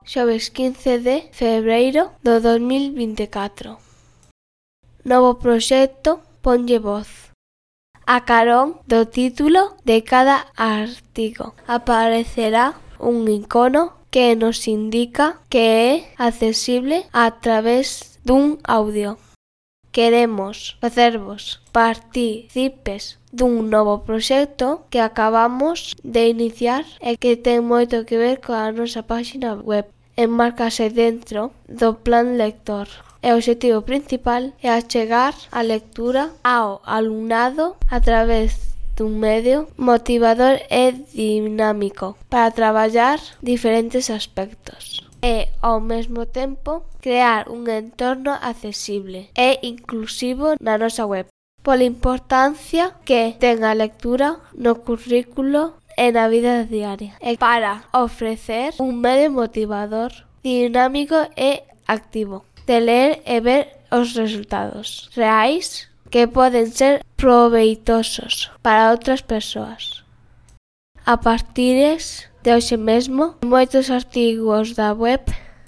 xoves 15 de febreiro do 2024. Novo proxecto Ponlle Voz. A carón do título de cada artigo aparecerá un icono que nos indica que é accesible a través dun audio. Queremos facervos partícipes dun novo proxecto que acabamos de iniciar e que ten moito que ver coa nosa páxina web. Enmárcase dentro do plan lector. E o obxectivo principal é achegar a lectura ao alumnado a través dun medio motivador e dinámico para traballar diferentes aspectos. E, ao mesmo tempo, crear un entorno accesible e inclusivo na nosa web, pola importancia que ten a lectura no currículo e na vida diaria, e para ofrecer un medio motivador, dinámico e activo, de ler e ver os resultados reais que poden ser proveitosos para outras persoas. A partires de hoxe mesmo, moitos artigos da web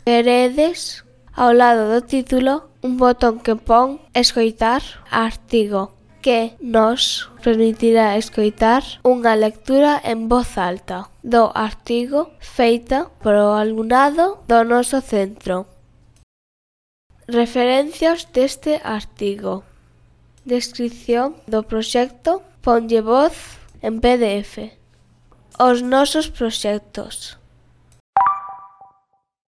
veredes ao lado do título un botón que pon escoitar artigo, que nos permitirá escoitar unha lectura en voz alta do artigo feita polo alumnado do noso centro. Referencias deste artigo. Descrición do proxecto Ponlle Voz en PDF. Os nosos proxectos.